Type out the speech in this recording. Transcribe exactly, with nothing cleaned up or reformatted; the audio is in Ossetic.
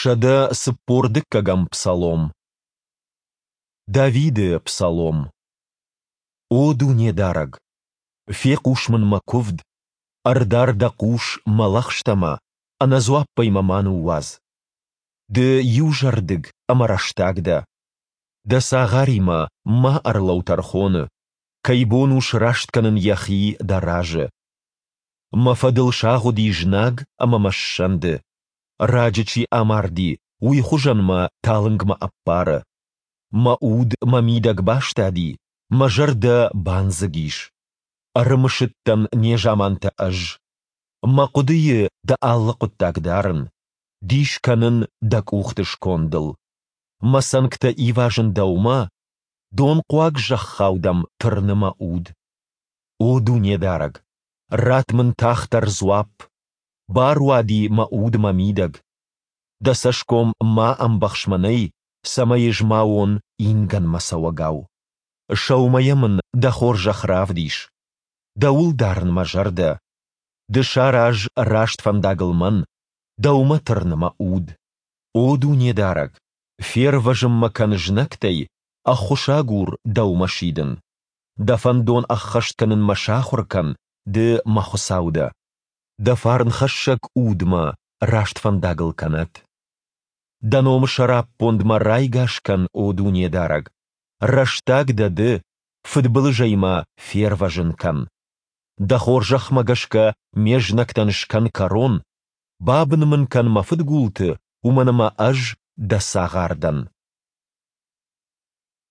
Сӕдӕ цыппор дыккӕгӕм псалом. Давиды псалом. О Дунедарӕг! Фехъус мын мӕ куывд, ӕрдар дӕ хъус мӕ лӕгъстӕмӕ, ӕнӕдзуаппӕй мӕ ма ныууадз. Ды иузӕрдыг ӕмӕ рӕстаг дӕ. Дӕ цагъаримӕ ма ӕрлӕуу тӕрхоны, кӕй бон у сраст кӕнын йӕхи дӕ разы? Мӕ фӕдыл сагъуыди знаг ӕмӕ мӕ ссӕнды. Раджы чи амарди, уый хуызӕн мӕ талынгмӕ ӕппары. Мӕ уд мӕ мидӕг бастади, мӕ зӕрдӕ бандзыг ис. Ӕрымысыдтӕн незамантӕ ӕз. Мӕ хъуыдыйы дӕ алы хъуыддаг дарын, дис кӕнын дӕ къухты скондыл. Мӕ цӕнгтӕ ивазын дӕумӕ, донхъуаг зӕххау дӕм тырны мӕ уд. О Дунедарӕг, ратт мын тагъддӕр дзуапп! Баруади мӕ уд мӕ мидӕг. Дӕ цӕсгом ма ӕмбӕхс мӕнӕй, цӕмӕй ӕз ма уон ингӕнмӕ цӕуӕгау. Сӕумӕйӕ мын дӕ хорзӕх равдис. Дӕуыл дарын мӕ зӕрдӕ. Ды сараз раст фӕндагыл мӕн, Дӕумӕ тырны мӕ уд. О Дунедарӕг, фервӕзын мӕ кӕн знӕгтӕй, ӕххуысагур Дӕумӕ сидын. Дӕ фӕндон ӕххӕст кӕнын мӕ сахуыр кӕн, Ды мӕ Хуыцау дӕ. Дӕ фарнхӕссӕг Уд мӕ раст фӕндагыл кӕнӕд. Дӕ номы сӕраппонд мӕ райгас кӕн, о Дунедарӕг! Рӕстаг дӕ Ды, фыдбылызӕй мӕ фервӕзын кӕн. Дӕ хорзӕхмӕ гӕсгӕ ме знӕгтӕн скӕн кӕрон, бабын мын кӕн мӕ фыдгулты, уымӕн ӕмӕ ӕз Дӕ цагъар дӕн.